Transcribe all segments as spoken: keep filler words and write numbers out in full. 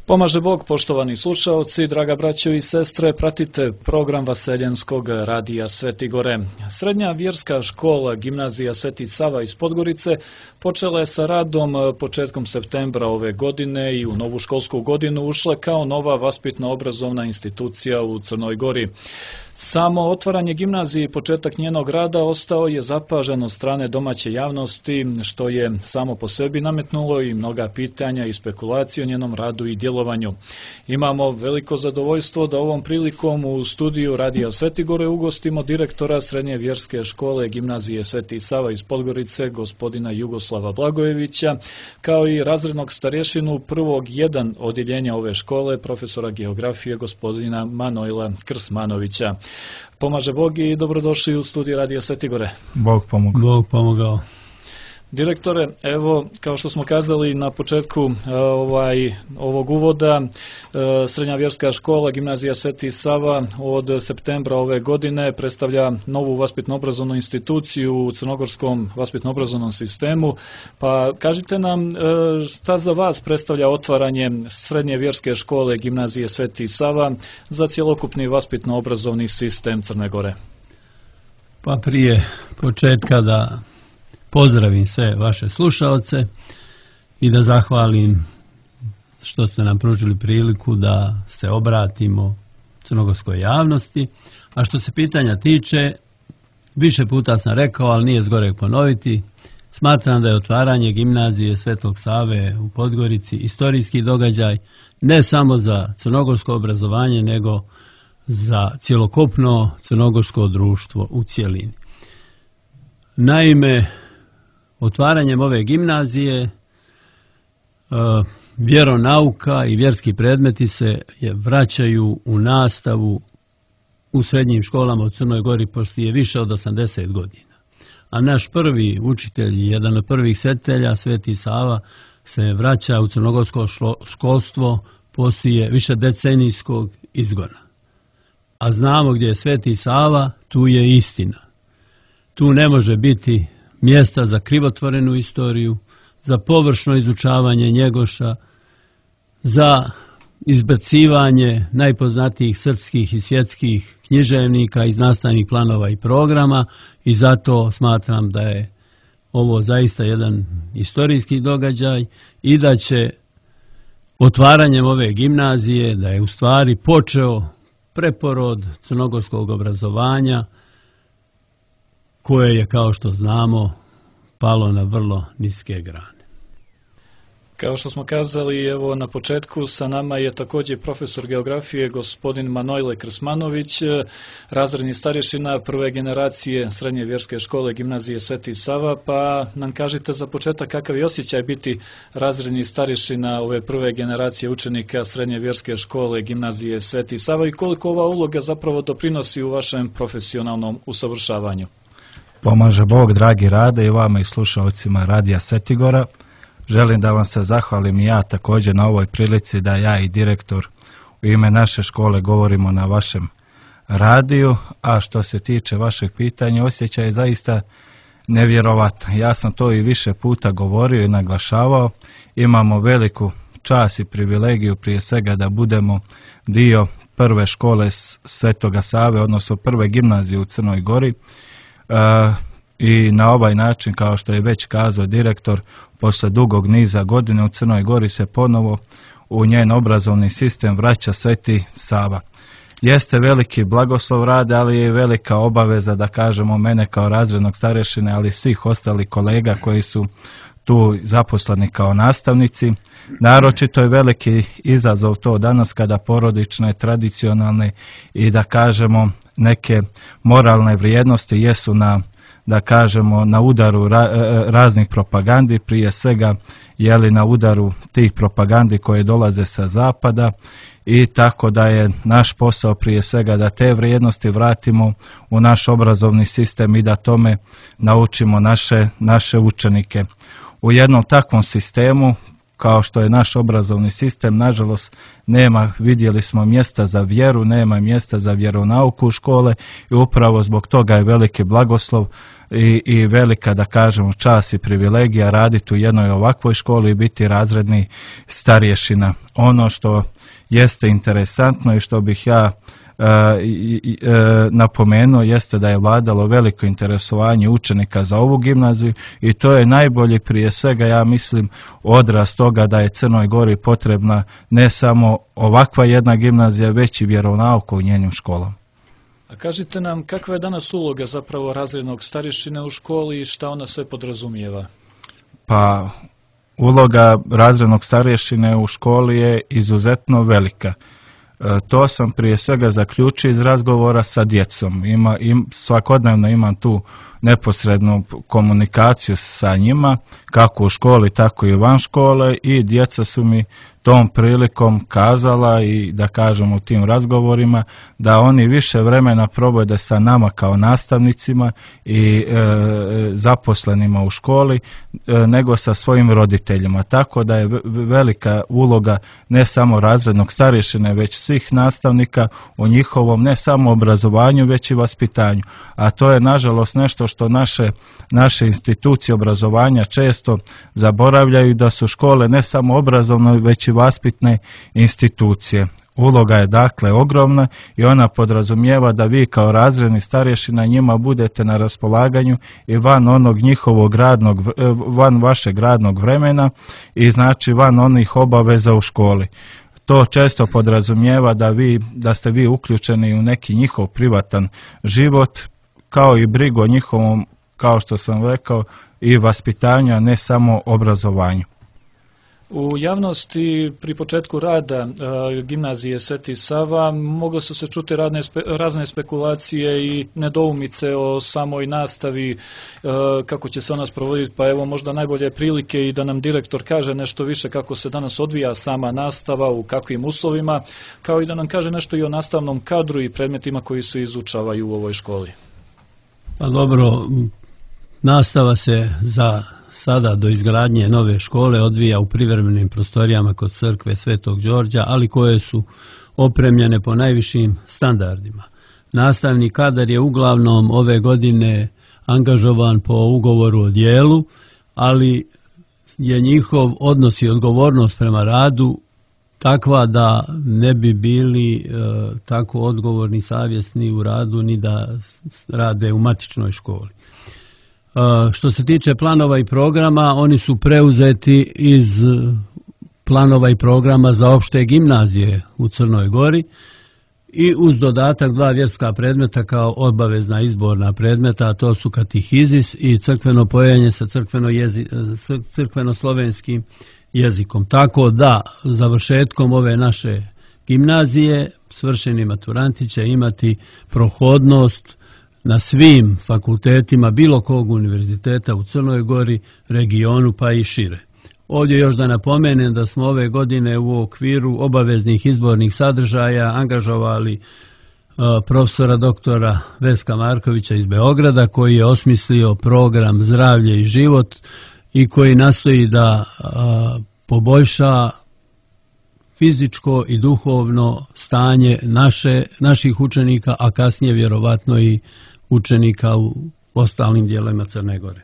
Pomaže Bog, poštovani slušaoci, draga braćo i sestre, pratite program Vaseljenskog radija Sveti Gore. Srednja vjerska škola Gimnazija Sveti Sava iz Podgorice počela je sa radom početkom septembra ove godine i u novu školsku godinu ušla kao nova vaspitno-obrazovna institucija u Crnoj Gori. Samo otvaranje gimnazije i početak njenog rada ostao je zapažen od strane domaće javnosti, što je samo po sebi nametnulo i mnoga pitanja i spekulacije o njenom radu i djelovanju. Imamo veliko zadovoljstvo da ovom prilikom u studiju Radija Sveti Gore ugostimo direktora Srednje vjerske škole Gimnazije Sveti Sava iz Podgorice, gospodina Jugoslava Blagojevića, kao i razrednog starješinu prvog jedan odjeljenja ove škole, profesora geografije, gospodina Manojla Krsmanovića. Pomaže Bog i dobrodošli u studiju Radija Sveti Gore. Bog pomogao. Bog pomogao. Direktore, evo, kao što smo kazali na početku ovaj, ovog uvoda, Srednja vjerska škola Gimnazija Sveti Sava od septembra ove godine predstavlja novu vaspitno-obrazovnu instituciju u crnogorskom vaspitno-obrazovnom sistemu. Pa kažite nam šta za vas predstavlja otvaranje Srednje vjerske škole Gimnazije Sveti Sava za cjelokupni vaspitno-obrazovni sistem Crne Gore? Pa prije početka da pozdravim sve vaše slušalce i da zahvalim što ste nam pružili priliku da se obratimo crnogorskoj javnosti. A što se pitanja tiče, više puta sam rekao, ali nije zgoreg ponoviti, smatram da je otvaranje gimnazije Svetog Save u Podgorici istorijski događaj ne samo za crnogorsko obrazovanje, nego za cjelokupno crnogorsko društvo u cjelini. Naime, otvaranjem ove gimnazije vjeronauka i vjerski predmeti se vraćaju u nastavu u srednjim školama u Crnoj Gori poslije više od osamdeset godina. A naš prvi učitelj, jedan od prvih svetitelja, Sveti Sava, se vraća u crnogorsko školstvo poslije više decenijskog izgona. A znamo gdje je Sveti Sava, tu je istina. Tu ne može biti mjesta za krivotvorenu istoriju, za površno izučavanje Njegoša, za izbacivanje najpoznatijih srpskih i svjetskih književnika iz nastavnih planova i programa, i zato smatram da je ovo zaista jedan istorijski događaj i da će otvaranjem ove gimnazije, da je u stvari počeo preporod crnogorskog obrazovanja, koje je, kao što znamo, palo na vrlo niske grane. Kao što smo kazali, evo na početku sa nama je također profesor geografije gospodin Manojle Krsmanović, razredni starješina prve generacije Srednje vjerske škole Gimnazije Sveti Sava, pa nam kažite za početak kakav je osjećaj biti razredni starješina ove prve generacije učenika Srednje vjerske škole Gimnazije Sveti Sava i koliko ova uloga zapravo doprinosi u vašem profesionalnom usavršavanju. Pomaže Bog, dragi Rade, i vama i slušalcima Radija Sveti Gora. Želim da vam se zahvalim i ja također na ovoj prilici da ja i direktor u ime naše škole govorimo na vašem radiju, a što se tiče vašeg pitanja, osjećaj je zaista nevjerovatan. Ja sam to i više puta govorio i naglašavao. Imamo veliku čast i privilegiju prije svega da budemo dio prve škole Svetoga Save, odnosno prve gimnazije u Crnoj Gori. Uh, i na ovaj način, kao što je već kazao direktor, posle dugog niza godine u Crnoj Gori se ponovo u njen obrazovni sistem vraća Sveti Sava. Jeste veliki blagoslov Rade, ali je velika obaveza, da kažemo, mene kao razrednog starješine, ali svih ostalih kolega koji su tu zaposleni kao nastavnici. Naročito je veliki izazov to danas kada porodične, tradicionalne i, da kažemo, neke moralne vrijednosti jesu na, da kažemo, na udaru ra, raznih propagandi, prije svega jeli na udaru tih propagandi koje dolaze sa zapada, i tako da je naš posao prije svega da te vrijednosti vratimo u naš obrazovni sistem i da tome naučimo naše, naše učenike. U jednom takvom sistemu kao što je naš obrazovni sistem, nažalost nema, vidjeli smo, mjesta za vjeru, nema mjesta za vjeronauku u škole i upravo zbog toga je veliki blagoslov i, i velika, da kažemo, čast i privilegija raditi u jednoj ovakvoj školi i biti razredni starješina. Ono što jeste interesantno i što bih ja Uh, i, i, uh, napomenuo jeste da je vladalo veliko interesovanje učenika za ovu gimnaziju i to je najbolji, prije svega, ja mislim, odraz toga da je Crnoj Gori potrebna ne samo ovakva jedna gimnazija, već i vjeronauka u njenim školama. A kažite nam, kakva je danas uloga zapravo razrednog starješine u školi i šta ona sve podrazumijeva? Pa, uloga razrednog starješine u školi je izuzetno velika. To sam prije svega zaključio iz razgovora sa djecom. Ima, im, svakodnevno imam tu neposrednu komunikaciju sa njima, kako u školi, tako i van škole, i djeca su mi tom prilikom kazala i, da kažem, u tim razgovorima da oni više vremena provode sa nama kao nastavnicima i e, zaposlenima u školi e, nego sa svojim roditeljima. Tako da je velika uloga ne samo razrednog starješine, već svih nastavnika u njihovom ne samo obrazovanju, već i vaspitanju. A to je nažalost nešto što naše, naše institucije obrazovanja često zaboravljaju, da su škole ne samo obrazovne, već i vaspitne institucije. Uloga je dakle ogromna i ona podrazumijeva da vi kao razredni starješina njima budete na raspolaganju i van onog njihovog radnog, van vašeg radnog vremena i znači van onih obaveza u školi. To često podrazumijeva da vi, da ste vi uključeni u neki njihov privatan život, kao i brigu o njihovom, kao što sam rekao, i vaspitanju, a ne samo obrazovanju. U javnosti pri početku rada e, gimnazije Sveti Sava mogle su se čuti radne, spe, razne spekulacije i nedoumice o samoj nastavi, e, kako će se ona sprovoditi, pa evo možda najbolje prilike i da nam direktor kaže nešto više kako se danas odvija sama nastava, u kakvim uslovima, kao i da nam kaže nešto i o nastavnom kadru i predmetima koji se izučavaju u ovoj školi. Pa dobro, nastava se za sada do izgradnje nove škole odvija u privremenim prostorijama kod crkve Svetog Đorđa, ali koje su opremljene po najvišim standardima. Nastavni kadar je uglavnom ove godine angažovan po ugovoru o djelu, ali je njihov odnos i odgovornost prema radu takva da ne bi bili e, tako odgovorni, savjesni u radu ni da rade u matičnoj školi. Što se tiče planova i programa, oni su preuzeti iz planova i programa za opšte gimnazije u Crnoj Gori i uz dodatak dva vjerska predmeta kao obavezna izborna predmeta, a to su katehizis i crkveno pojenje sa crkveno jezi, crkveno-slovenskim jezikom. Tako da završetkom ove naše gimnazije svršeni maturanti će imati prohodnost na svim fakultetima bilo kog univerziteta u Crnoj Gori, regionu pa i šire. Ovdje još da napomenem da smo ove godine u okviru obaveznih izbornih sadržaja angažovali uh, profesora doktora Veska Markovića iz Beograda, koji je osmislio program Zdravlje i život i koji nastoji da uh, poboljša fizičko i duhovno stanje naše, naših učenika, a kasnije vjerovatno i učenika u ostalim dijelovima Crne Gore.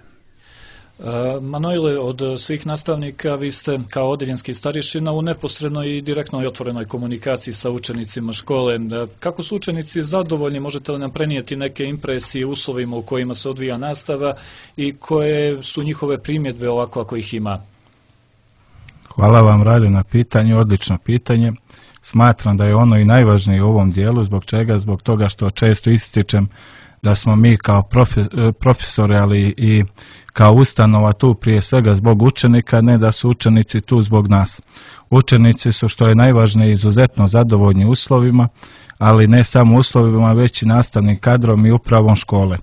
Manojle, od svih nastavnika vi ste kao odeljenski starješina u neposrednoj i direktnoj otvorenoj komunikaciji sa učenicima škole. Kako su učenici zadovoljni, možete li nam prenijeti neke impresije uslovima u kojima se odvija nastava i koje su njihove primjedbe ovako ako ih ima? Hvala vam, Rade, na pitanju, odlično pitanje. Smatram da je ono i najvažnije u ovom dijelu, zbog čega? Zbog toga što često ističem da smo mi kao profesori, ali i kao ustanova tu prije svega zbog učenika, ne da su učenici tu zbog nas. Učenici su, što je najvažnije, izuzetno zadovoljni uslovima, ali ne samo uslovima, već i nastavnim kadrom i upravom škole.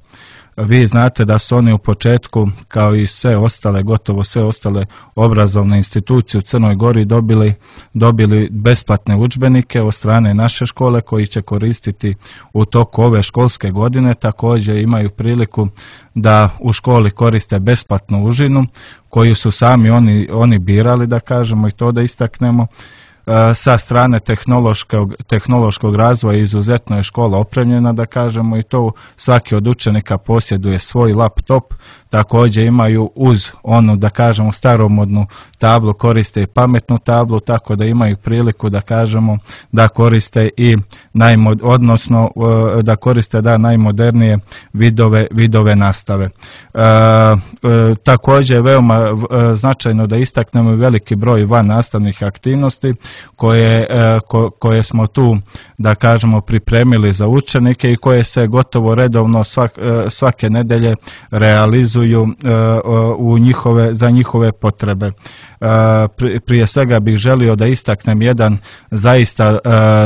vi znate da su oni u početku, kao i sve ostale, gotovo sve ostale obrazovne institucije u Crnoj Gori dobili, dobili besplatne udžbenike od strane naše škole koji će koristiti u toku ove školske godine. Također imaju priliku da u školi koriste besplatnu užinu koju su sami oni, oni birali, da kažemo i to da istaknemo. Sa strane tehnološkog, tehnološkog razvoja izuzetno je škola opremljena, da kažemo i to, svaki od učenika posjeduje svoj laptop, također imaju uz onu, da kažemo, staromodnu tablu, koriste i pametnu tablu, tako da imaju priliku, da kažemo, da koriste i najmod, odnosno da koriste da najmodernije vidove, vidove nastave. E, e, također je veoma e, značajno da istaknemo veliki broj van nastavnih aktivnosti koje, e, ko, koje smo tu, da kažemo, pripremili za učenike i koje se gotovo redovno svak, e, svake nedelje realizuju u njihove, za njihove potrebe. Prije svega bih želio da istaknem jedan zaista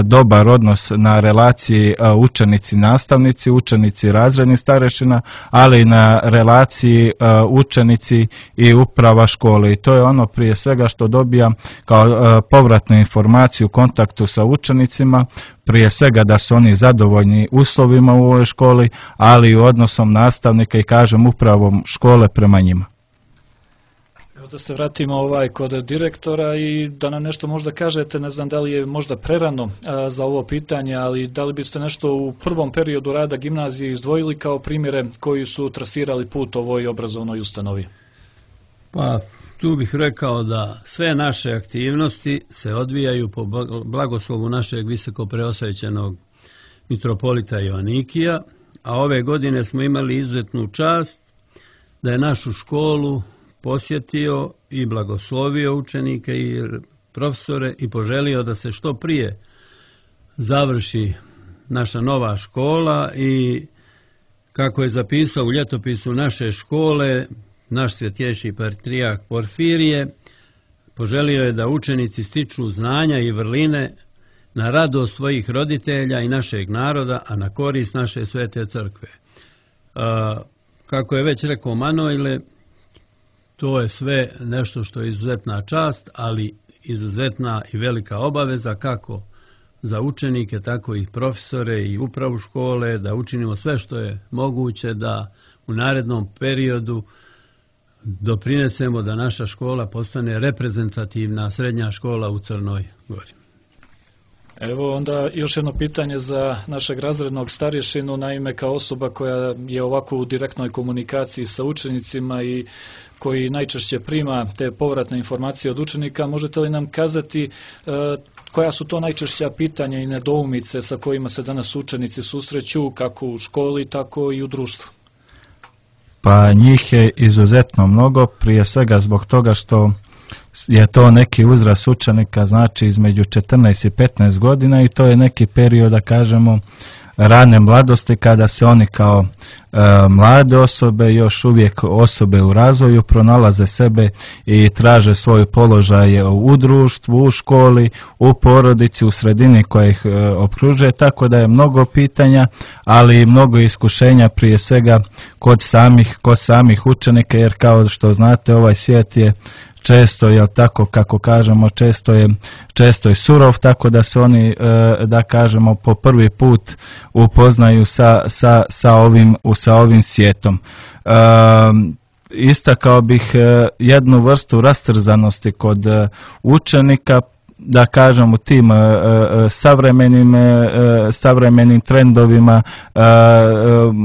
dobar odnos na relaciji učenici-nastavnici, učenici-razrednih starešina, ali i na relaciji učenici i uprava škole. I to je ono prije svega što dobijam kao povratnu informaciju u kontaktu sa učenicima, prije svega da su oni zadovoljni uslovima u ovoj školi, ali i odnosom nastavnika i, kažem, upravom škole prema njima. Evo da se vratimo ovaj kod direktora i da nam nešto možda kažete, ne znam da li je možda prerano a, za ovo pitanje, ali da li biste nešto u prvom periodu rada gimnazije izdvojili kao primjere koji su trasirali put ovoj obrazovnoj ustanovi? Pa, tu bih rekao da sve naše aktivnosti se odvijaju po blagoslovu našeg visoko preosvećenog mitropolita Joanikija, a ove godine smo imali izuzetnu čast da je našu školu posjetio i blagoslovio učenike i profesore i poželio da se što prije završi naša nova škola i, kako je zapisao u ljetopisu naše škole, naš svjetjejši patrijarh Porfirije, poželio je da učenici stiču znanja i vrline na radost svojih roditelja i našeg naroda, a na korist naše svete crkve. A, kako je već rekao Manojle, to je sve nešto što je izuzetna čast, ali izuzetna i velika obaveza kako za učenike, tako i profesore i upravu škole, da učinimo sve što je moguće da u narednom periodu doprinesemo da naša škola postane reprezentativna srednja škola u Crnoj Gori. Evo onda još jedno pitanje za našeg razrednog starješinu, naime kao osoba koja je ovako u direktnoj komunikaciji sa učenicima i koji najčešće prima te povratne informacije od učenika, možete li nam kazati e, koja su to najčešća pitanja i nedoumice sa kojima se danas učenici susreću kako u školi, tako i u društvu? Pa njih je izuzetno mnogo, prije svega zbog toga što je to neki uzrast učenika, znači između četrnaest i petnaest godina i to je neki period, da kažemo, rane mladosti kada se oni kao e, mlade osobe, još uvijek osobe u razvoju, pronalaze sebe i traže svoj položaj u društvu, u školi, u porodici, u sredini koja ih e, okružuje, tako da je mnogo pitanja, ali i mnogo iskušenja prije svega kod samih, kod samih učenika, jer kao što znate ovaj svijet je često, jel tako, kako kažemo, često je, često je surov, tako da se oni, e, da kažemo, po prvi put upoznaju sa, sa, sa, ovim, sa ovim svijetom. E, istakao bih e, jednu vrstu rastrzanosti kod e, učenika, da kažem, u tim uh, savremenim, uh, savremenim trendovima, uh, uh,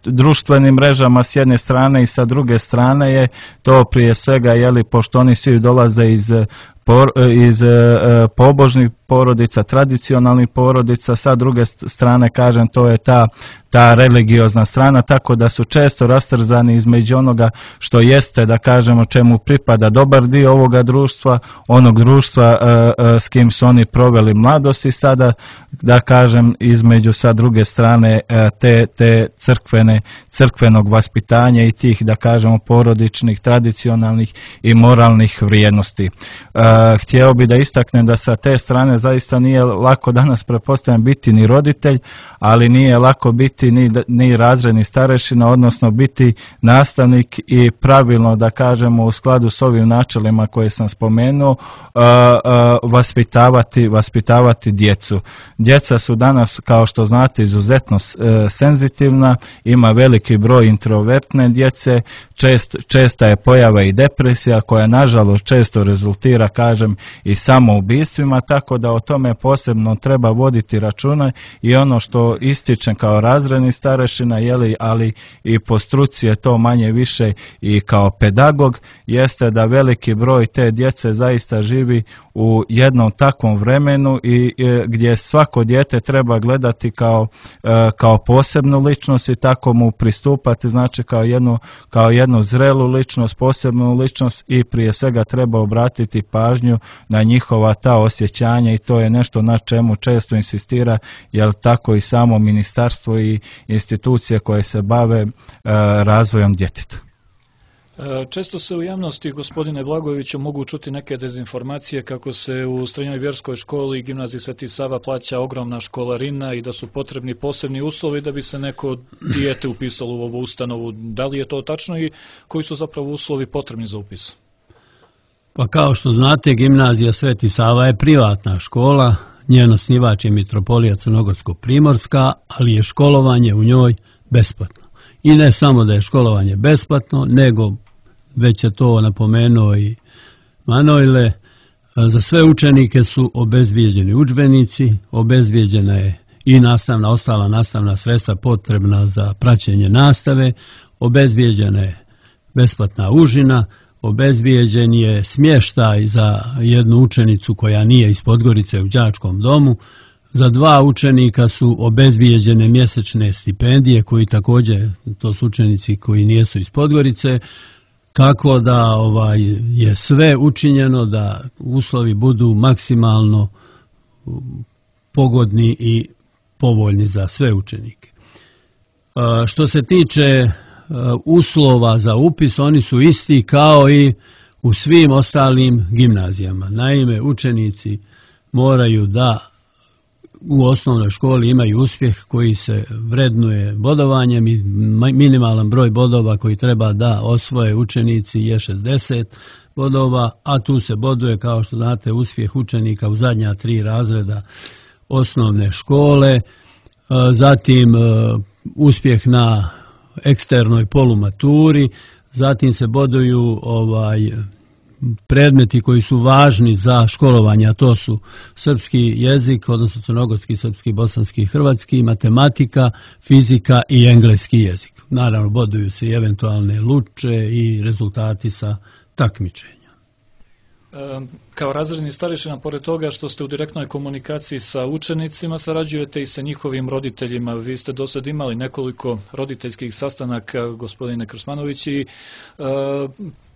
društvenim mrežama s jedne strane i sa druge strane je to prije svega, jeli, pošto oni svi dolaze iz Por, iz e, pobožnih porodica, tradicionalnih porodica, sa druge strane, kažem, to je ta, ta religiozna strana, tako da su često rastrzani između onoga što jeste, da kažemo, čemu pripada dobar dio ovoga društva, onog društva e, e, s kim su oni proveli mladost i sada, da kažem, između sa druge strane e, te, te crkvene, crkvenog vaspitanja i tih, da kažemo, porodičnih, tradicionalnih i moralnih vrijednosti. E, htio bi da istaknem da sa te strane zaista nije lako danas, pretpostavljam, biti ni roditelj, ali nije lako biti ni, ni razredni starešina, odnosno biti nastavnik i pravilno, da kažemo, u skladu s ovim načelima koje sam spomenuo, uh, uh, vaspitavati, vaspitavati djecu. Djeca su danas, kao što znate, izuzetno uh, senzitivna, ima veliki broj introvertne djece, čest, česta je pojava i depresija koja nažalost često rezultira, kažem, i samoubistvima, tako da o tome posebno treba voditi računa i ono što ističem kao razredni starešina, jeli, ali i po struci je to manje više i kao pedagog, jeste da veliki broj te djece zaista živi u jednom takvom vremenu i, i gdje svako dijete treba gledati kao, e, kao posebnu ličnost i tako mu pristupati, znači kao jednu, kao jednu zrelu ličnost, posebnu ličnost i prije svega treba obratiti pažnju na njihova ta osjećanja i to je nešto na čemu često insistira, jer tako i samo ministarstvo i institucije koje se bave e, razvojom djeteta. Često se u javnosti, gospodine Blagojeviću, mogu čuti neke dezinformacije kako se u srednjoj vjerskoj školi i gimnaziji Sveti Sava plaća ogromna školarina i da su potrebni posebni uslovi da bi se neko dijete upisalo u ovu ustanovu. Da li je to tačno i koji su zapravo uslovi potrebni za upis? Pa kao što znate, gimnazija Sveti Sava je privatna škola, njen osnivač je mitropolija Crnogorsko-primorska, ali je školovanje u njoj besplatno. I ne samo da je školovanje besplatno, nego, već je to napomenuo i Manojle, za sve učenike su obezbijeđeni udžbenici, obezbijeđena je i nastavna, ostala nastavna sredstva potrebna za praćenje nastave, obezbijeđena je besplatna užina, obezbijeđen je smještaj za jednu učenicu koja nije iz Podgorice u đačkom domu, za dva učenika su obezbijeđene mjesečne stipendije koji također, to su učenici koji nisu iz Podgorice, tako da ovaj, je sve učinjeno da uslovi budu maksimalno pogodni i povoljni za sve učenike. Što se tiče uslova za upis, oni su isti kao i u svim ostalim gimnazijama. Naime, učenici moraju da u osnovnoj školi imaju uspjeh koji se vrednuje bodovanjem i minimalan broj bodova koji treba da osvoje učenici je šezdeset bodova, a tu se boduje, kao što znate, uspjeh učenika u zadnja tri razreda osnovne škole, zatim uspjeh na eksternoj polumaturi, zatim se boduju ovaj predmeti koji su važni za školovanje, a to su srpski jezik, odnosno crnogorski, srpski, bosanski, hrvatski, matematika, fizika i engleski jezik. Naravno, boduju se i eventualne luče i rezultati sa takmičenja. Kao razredni starešina, pored toga što ste u direktnoj komunikaciji sa učenicima, sarađujete i sa njihovim roditeljima. Vi ste do sad imali nekoliko roditeljskih sastanaka, gospodine Krsmanović, i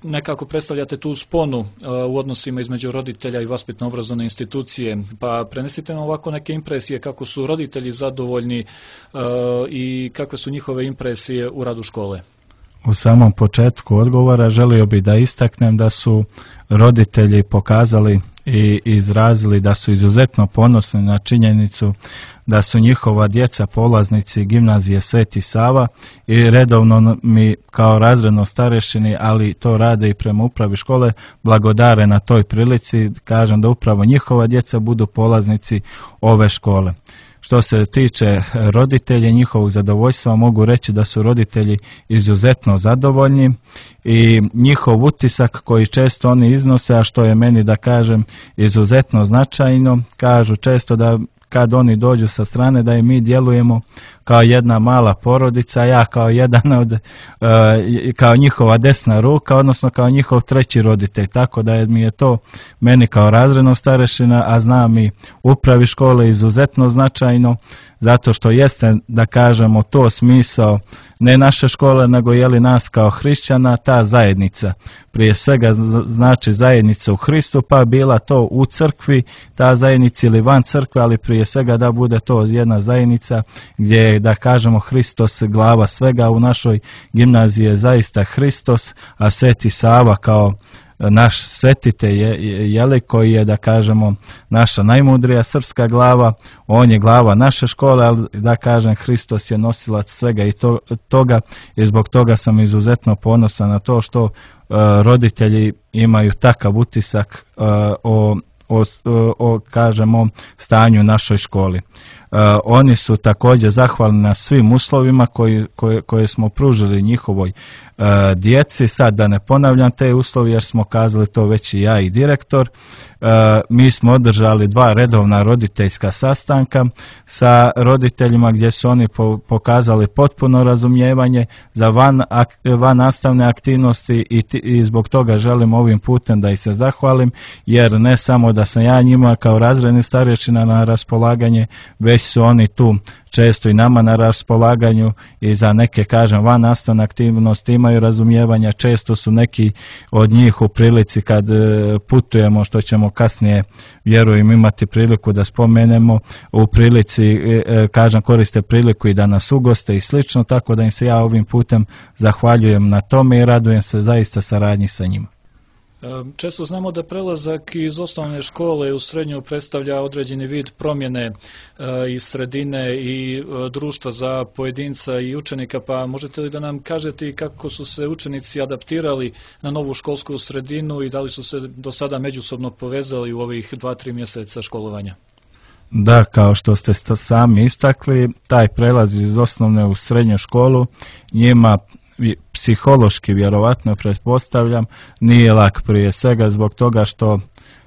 nekako predstavljate tu sponu u odnosima između roditelja i vaspitno-obrazovne institucije. Pa prenesite nam ovako neke impresije kako su roditelji zadovoljni i kakve su njihove impresije u radu škole. U samom početku odgovora želio bih da istaknem da su roditelji pokazali i izrazili da su izuzetno ponosni na činjenicu da su njihova djeca polaznici gimnazije Sveti Sava i redovno mi kao razredno starešini, ali to rade i prema upravi škole, blagodare na toj prilici, kažem da upravo njihova djeca budu polaznici ove škole. Što se tiče roditelja, njihovog zadovoljstva, mogu reći da su roditelji izuzetno zadovoljni i njihov utisak koji često oni iznose, a što je meni, da kažem, izuzetno značajno, kažu često da kad oni dođu sa strane da i mi djelujemo kao jedna mala porodica, ja kao jedan od, kao njihova desna ruka, odnosno kao njihov treći roditelj, tako da je, mi je to meni kao razrednog starešina, a znam i upravi škole, izuzetno značajno, zato što jeste, da kažemo, to smisao ne naše škole, nego je li nas kao hrišćana, ta zajednica. Prije svega znači zajednica u Hristu, pa bila to u crkvi, ta zajednica ili van crkve, ali prije svega da bude to jedna zajednica gdje je, da kažemo, Hristos glava svega. U našoj gimnaziji je zaista Hristos, a Sveti Sava kao naš svetitelj Jeli, koji je, da kažemo, naša najmudrija srpska glava, on je glava naše škole, ali da kažem, Hristos je nosilac svega i to, toga i zbog toga sam izuzetno ponosan na to što uh, roditelji imaju takav utisak uh, o O, o, kažemo, stanju u našoj školi. E, oni su također zahvalni na svim uslovima koji, koje, koje smo pružili njihovoj e, djeci. Sad da ne ponavljam te uslovi jer smo kazali to već i ja i direktor. E, mi smo održali dva redovna roditeljska sastanka sa roditeljima gdje su oni po, pokazali potpuno razumijevanje za van, ak, van nastavne aktivnosti i, ti, i zbog toga želim ovim putem da ih se zahvalim, jer ne samo da sam ja njima kao razredni starješina na raspolaganje, već su oni tu često i nama na raspolaganju i za neke, kažem, van nastavne aktivnosti imaju razumijevanja. Često su neki od njih u prilici kad putujemo, što ćemo kasnije, vjerujem, imati priliku da spomenemo, u prilici, kažem, koriste priliku i da nas ugoste i slično, tako da im se ja ovim putem zahvaljujem na tome i radujem se zaista saradnji sa njima. Često znamo da prelazak iz osnovne škole u srednju predstavlja određeni vid promjene iz sredine i društva za pojedinca i učenika, pa možete li da nam kažete kako su se učenici adaptirali na novu školsku sredinu i da li su se do sada međusobno povezali u ovih dva, tri mjeseca školovanja? Da, kao što ste sami istakli, taj prelaz iz osnovne u srednju školu njima psihološki, vjerovatno pretpostavljam, nije lak, prije svega zbog toga što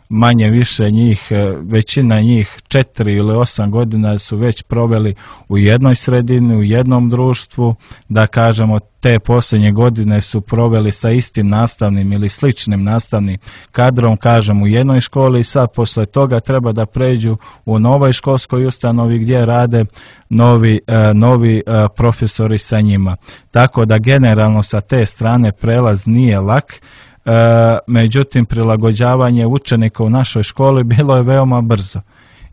manje više njih, većina njih četiri ili osam godina su već proveli u jednoj sredini, u jednom društvu, da kažemo te posljednje godine su proveli sa istim nastavnim ili sličnim nastavnim kadrom, kažem, u jednoj školi i sad posle toga treba da pređu u novoj školskoj ustanovi gdje rade novi, novi profesori sa njima. Tako da generalno sa te strane prelaz nije lak. E, međutim, prilagođavanje učenika u našoj školi bilo je veoma brzo.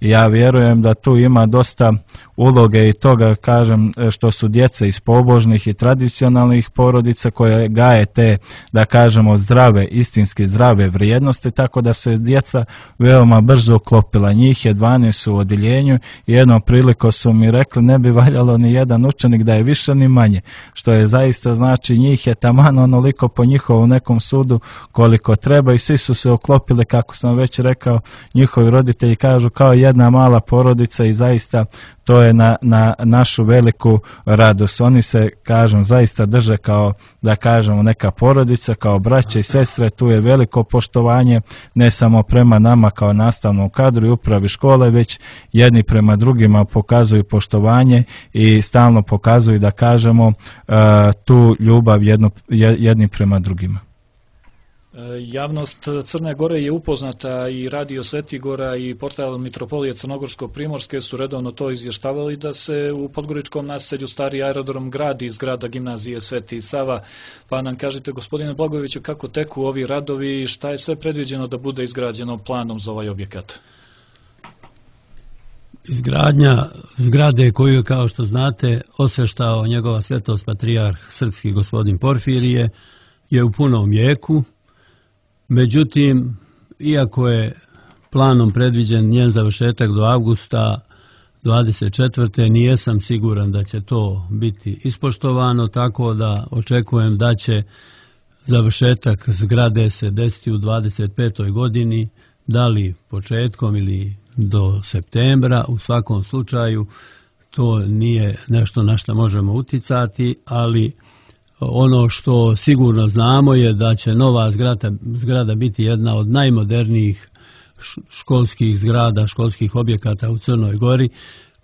Ja vjerujem da tu ima dosta uloge i toga, kažem, što su djeca iz pobožnih i tradicionalnih porodica koje gaje te, da kažemo, zdrave, istinski zdrave vrijednosti, tako da se djeca veoma brzo uklopila. Njih je dvanaest u odjeljenju i jednom prilikom su mi rekli ne bi valjalo ni jedan učenik da je više ni manje, što je zaista znači njih je taman onoliko po njihovom nekom sudu koliko treba i svi su se uklopili, kako sam već rekao, njihovi roditelji kažu kao jedna mala porodica i zaista to je na, na našu veliku radost. Oni se, kažem, zaista drže kao, da kažemo, neka porodica, kao braće i sestre. Tu je veliko poštovanje, ne samo prema nama kao nastavnom kadru i upravi škole, već jedni prema drugima pokazuju poštovanje i stalno pokazuju, da kažemo, tu ljubav jedno, jedni prema drugima. Javnost Crne Gore je upoznata i Radio Svetigora i portal Mitropolije Crnogorsko-Primorske su redovno to izvještavali da se u podgoričkom naselju stari aerodrom gradi iz zgrada gimnazije Sveti Sava. Pa nam kažite, gospodine Blagojeviću, kako teku ovi radovi i šta je sve predviđeno da bude izgrađeno planom za ovaj objekat? Izgradnja zgrade koju je, kao što znate, osveštao njegova svetost patrijarh srpski gospodin Porfirije je u punom jeku. Međutim, iako je planom predviđen njen završetak do avgusta dvadeset četvrte nijesam siguran da će to biti ispoštovano, tako da očekujem da će završetak zgrade se desiti u dvadeset petoj godini, da li početkom ili do septembra. U svakom slučaju to nije nešto na što možemo uticati, ali ono što sigurno znamo je da će nova zgrada, zgrada biti jedna od najmodernijih školskih zgrada, školskih objekata u Crnoj Gori.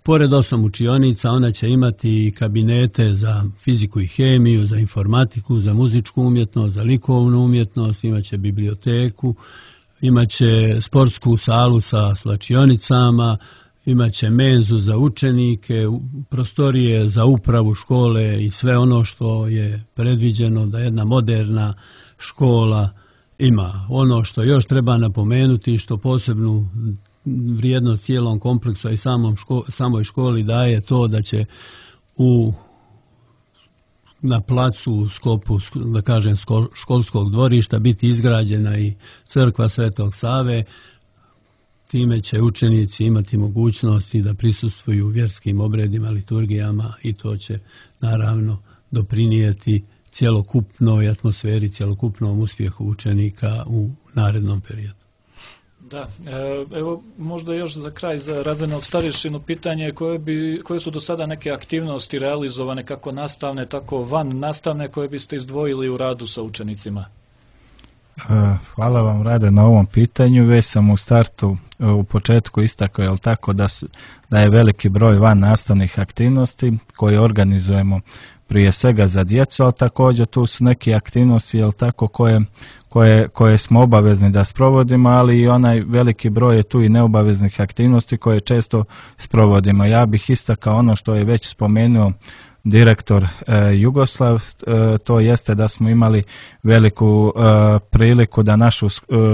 Pored osam učionica, ona će imati kabinete za fiziku i hemiju, za informatiku, za muzičku umjetnost, za likovnu umjetnost, imaće biblioteku, imaće sportsku salu sa slačionicama, imaće menzu za učenike, prostorije za upravu škole i sve ono što je predviđeno da jedna moderna škola ima. Ono što još treba napomenuti, što posebnu vrijednost cijelom kompleksu i samom ško, samoj školi daje to da će u na placu u sklopu, da kažem, školskog dvorišta biti izgrađena i crkva Svetog Save. Time će učenici imati mogućnosti da prisustvuju vjerskim obredima, liturgijama i to će naravno doprinijeti cjelokupnoj atmosferi, cjelokupnom uspjehu učenika u narednom periodu. Da, evo možda još za kraj za razrednog starješinu pitanje koje, bi, koje su do sada neke aktivnosti realizovane kako nastavne, tako van nastavne koje biste izdvojili u radu sa učenicima? Hvala vam, Rade, na ovom pitanju. Već sam u startu, u početku istakao, jel tako, da, su, da je veliki broj van nastavnih aktivnosti koje organizujemo prije svega za djecu, ali također tu su neke aktivnosti, jel tako, koje, koje, koje smo obavezni da sprovodimo, ali i onaj veliki broj je tu i neobaveznih aktivnosti koje često sprovodimo. Ja bih istakao ono što je već spomenuo direktor e, Jugoslav, e, to jeste da smo imali veliku e, priliku da našu e,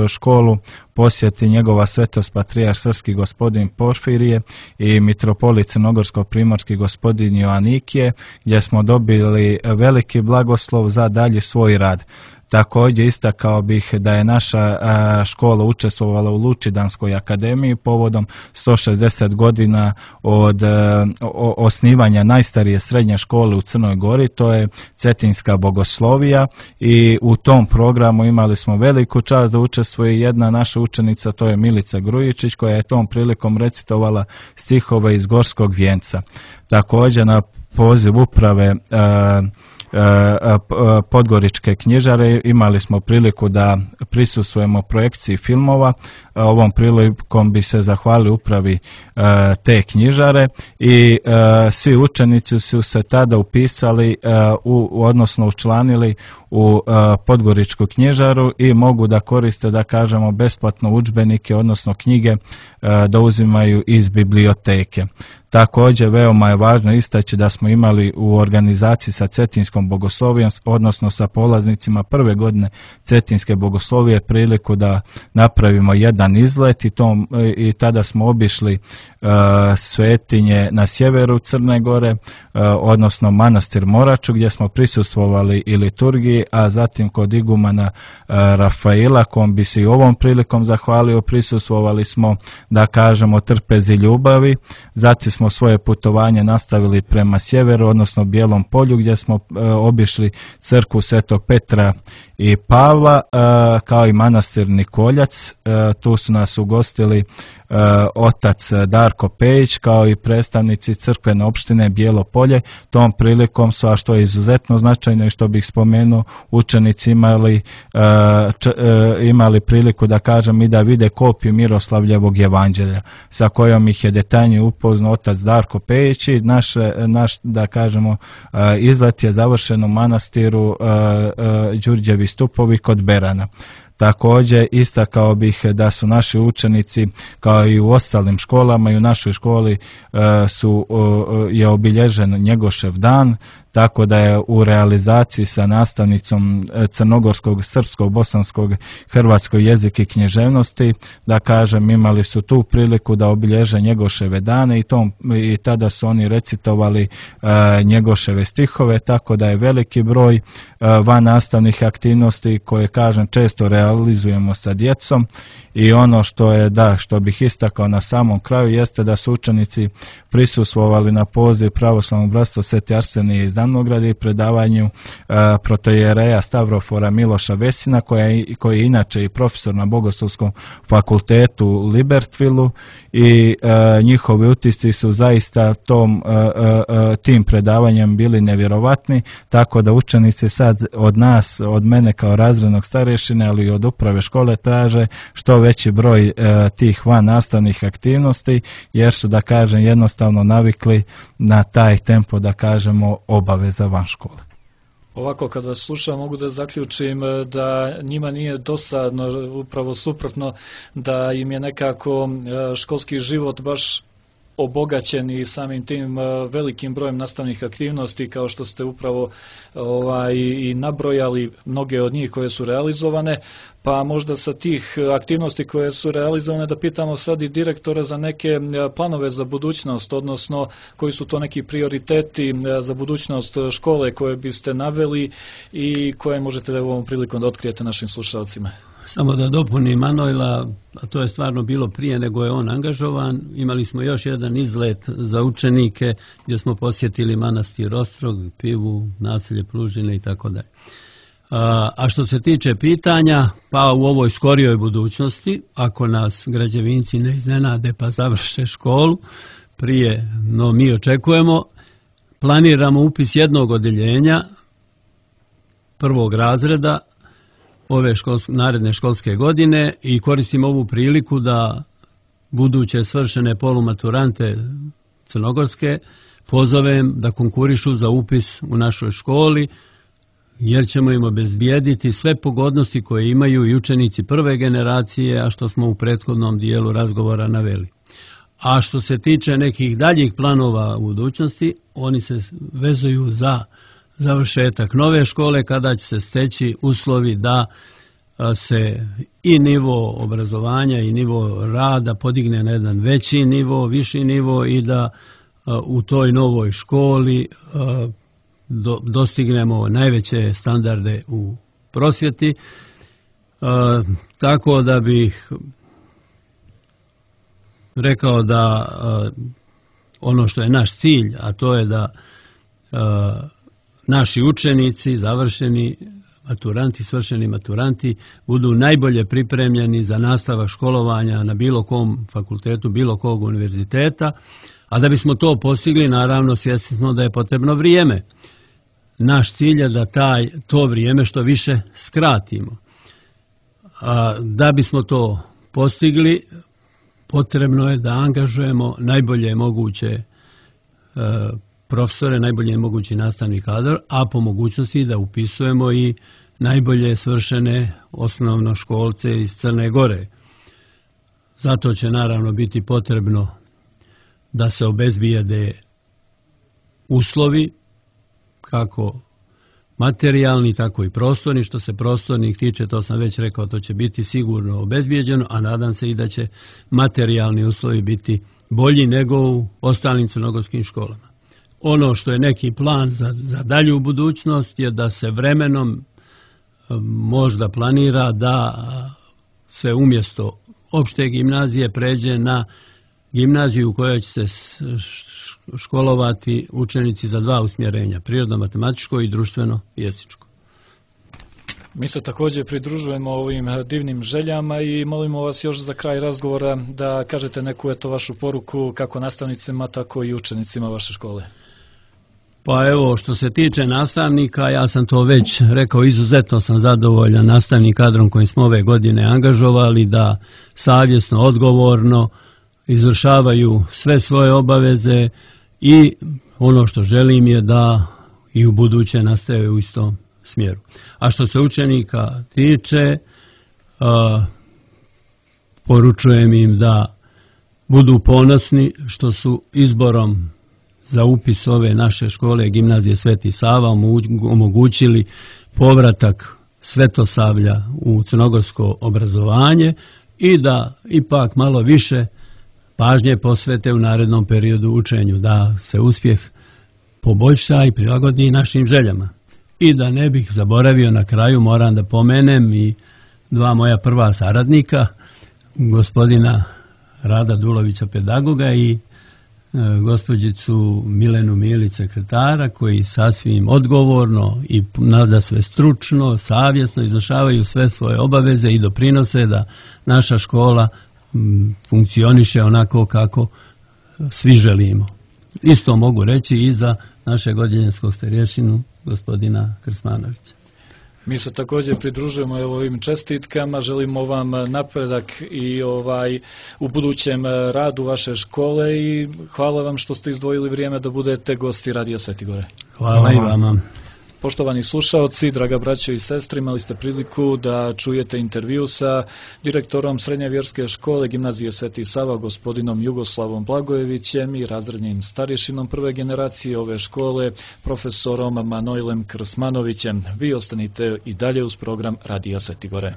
školu posjeti njegova svetost patrijarh srpski gospodin Porfirije i mitropolit crnogorsko-primorski gospodin Joanikije, gdje smo dobili veliki blagoslov za dalji svoj rad. Također istakao bih da je naša škola učestvovala u Lučidanskoj akademiji povodom sto šezdeset godina od osnivanja najstarije srednje škole u Crnoj Gori, to je Cetinska bogoslovija, i u tom programu imali smo veliku čast da učestvuje jedna naša učenica, to je Milica Grujičić, koja je tom prilikom recitovala stihove iz Gorskog vijenca. Također na poziv uprave Podgoričke knjižare imali smo priliku da prisustvujemo projekciji filmova. Ovom prilikom bi se zahvalili upravi te knjižare i svi učenici su se tada upisali u, odnosno učlanili u Podgoričku knjižaru i mogu da koriste, da kažemo, besplatno udžbenike, odnosno knjige da uzimaju iz biblioteke. Također, veoma je važno istaći da smo imali u organizaciji sa Cetinskom bogoslovijom, odnosno sa polaznicima prve godine Cetinske bogoslovije, priliku da napravimo jedan izlet i, tom, i tada smo obišli uh, svetinje na sjeveru Crne Gore, uh, odnosno manastir Moraču, gdje smo prisustvovali i liturgiji, a zatim kod igumana uh, Rafaila, kom bi se i ovom prilikom zahvalio, prisustvovali smo, da kažemo, trpezi ljubavi. Zatim smo svoje putovanje nastavili prema sjeveru, odnosno Bijelom polju, gdje smo e, obišli crkvu Svetog Petra i Pavla, e, kao i manastir Nikoljac. E, tu su nas ugostili e, otac Darko Pejić, kao i predstavnici crkvene opštine Bijelo polje. Tom prilikom su, a što je izuzetno značajno i što bih spomenuo, učenici imali, e, č, e, imali priliku, da kažem, i da vide kopiju Miroslavljevog evanđelja, sa kojom ih je detaljnije upoznao otac Darko Pejić i naš, naš, da kažemo, izlet je završen u manastiru Đurđevi stupovi kod Berana. Također istakao bih da su naši učenici, kao i u ostalim školama, i u našoj školi su, je obilježen Njegošev dan, tako da je u realizaciji sa nastavnicom crnogorskog, srpskog, bosanskog, hrvatskog jezika i književnosti, da kažem, imali su tu priliku da obilježe Njegoševe dane i, tom, i tada su oni recitovali uh, Njegoševe stihove, tako da je veliki broj uh, van nastavnih aktivnosti koje, kažem, često realizujemo sa djecom. I ono što je, da, što bih istakao na samom kraju, jeste da su učenici prisustvovali na poziv Pravoslavnog bratstva Sveti Arsenije iz Danograda i predavanju uh, protojereja Stavrofora Miloša Vesina, koja je, koji je inače i profesor na Bogoslovskom fakultetu u Libertvilu, i uh, njihovi utisci su zaista tom, uh, uh, tim predavanjem bili nevjerovatni, tako da učenici sad od nas, od mene kao razrednog starješine, ali i od uprave škole, traže što veći broj uh, tih van nastavnih aktivnosti, jer su, da kažem, jednostavno navikli na taj tempo, da kažemo, obaveza van škole. Ovako, kad vas slušam, mogu da zaključim da njima nije dosadno, upravo suprotno, da im je nekako školski život baš obogaćeni samim tim velikim brojem nastavnih aktivnosti, kao što ste upravo ovaj, i nabrojali mnoge od njih koje su realizovane, pa možda sa tih aktivnosti koje su realizovane da pitamo sad i direktora za neke planove za budućnost, odnosno koji su to neki prioriteti za budućnost škole koje biste naveli i koje možete da ovom prilikom da otkrijete našim slušalcima. Samo da dopunim Manojla, a to je stvarno bilo prije nego je on angažovan, imali smo još jedan izlet za učenike gdje smo posjetili manastir Ostrog, Pivu, naselje Plužine i tako dalje. A što se tiče pitanja, pa u ovoj skorijoj budućnosti, ako nas građevinci ne iznenade pa završe školu, prije, no mi očekujemo, planiramo upis jednog odeljenja prvog razreda ove školske, naredne školske godine i koristim ovu priliku da buduće svršene polumaturante crnogorske pozovem da konkurišu za upis u našoj školi, jer ćemo im obezbijediti sve pogodnosti koje imaju i učenici prve generacije, a što smo u prethodnom dijelu razgovora naveli. A što se tiče nekih daljih planova u budućnosti, oni se vezuju za završetak nove škole, kada će se steći uslovi da se i nivo obrazovanja i nivo rada podigne na jedan veći nivo, viši nivo i da u toj novoj školi dostignemo najveće standarde u prosvjeti. Tako da bih rekao da ono što je naš cilj, a to je da naši učenici, završeni maturanti, svršeni maturanti, budu najbolje pripremljeni za nastavak školovanja na bilo kom fakultetu, bilo kog univerziteta, a da bismo to postigli, naravno svjesni smo da je potrebno vrijeme. Naš cilj je da taj, to vrijeme što više skratimo. A da bismo to postigli, potrebno je da angažujemo najbolje moguće e, profesore, najbolje mogući nastavni kadar, a po mogućnosti da upisujemo i najbolje svršene osnovnoškolce iz Crne Gore. Zato će naravno biti potrebno da se obezbijede uslovi, kako materijalni, tako i prostorni. Što se prostornih tiče, to sam već rekao, to će biti sigurno obezbijeđeno, a nadam se i da će materijalni uslovi biti bolji nego u ostalim crnogorskim školama. Ono što je neki plan za, za dalju budućnost je da se vremenom možda planira da se umjesto opšte gimnazije pređe na gimnaziju u kojoj će se školovati učenici za dva usmjerenja, prirodno-matematičko i društveno-jezičko. Mi se također pridružujemo ovim divnim željama i molimo vas još za kraj razgovora da kažete neku eto vašu poruku kako nastavnicima, tako i učenicima vaše škole. Pa evo, što se tiče nastavnika, ja sam to već rekao, izuzetno sam zadovoljan nastavnim kadrom kojim smo ove godine angažovali, da savjesno, odgovorno izvršavaju sve svoje obaveze i ono što želim je da i u buduće nastave u istom smjeru. A što se učenika tiče, uh, poručujem im da budu ponosni što su izborom za upis ove naše škole Gimnazije Sveti Sava omogućili povratak Svetosavlja u crnogorsko obrazovanje i da ipak malo više pažnje posvete u narednom periodu učenju, da se uspjeh poboljša i prilagodi našim željama. I da ne bih zaboravio, na kraju moram da pomenem i dva moja prva saradnika, gospodina Rada Dulovića, pedagoga, i gospođicu Milenu Milić, sekretara, koji sasvim odgovorno i nada sve stručno, savjesno izvršavaju sve svoje obaveze i doprinose da naša škola funkcioniše onako kako svi želimo. Isto mogu reći i za našeg odjeljenskog starješinu, gospodina Krsmanovića. Mi se također pridružujemo ovim čestitkama, želimo vam napredak i ovaj u budućem radu vaše škole i hvala vam što ste izdvojili vrijeme da budete gosti Radija Sveti Gore. Hvala, hvala i vama. Poštovani slušaoci, draga braćo i sestre, imali ste priliku da čujete intervju sa direktorom Srednje vjerske škole Gimnazije Sveti Sava, gospodinom Jugoslavom Blagojevićem i razrednim starješinom prve generacije ove škole, profesorom Manojlem Krsmanovićem. Vi ostanite i dalje uz program Radija Sveti Gore.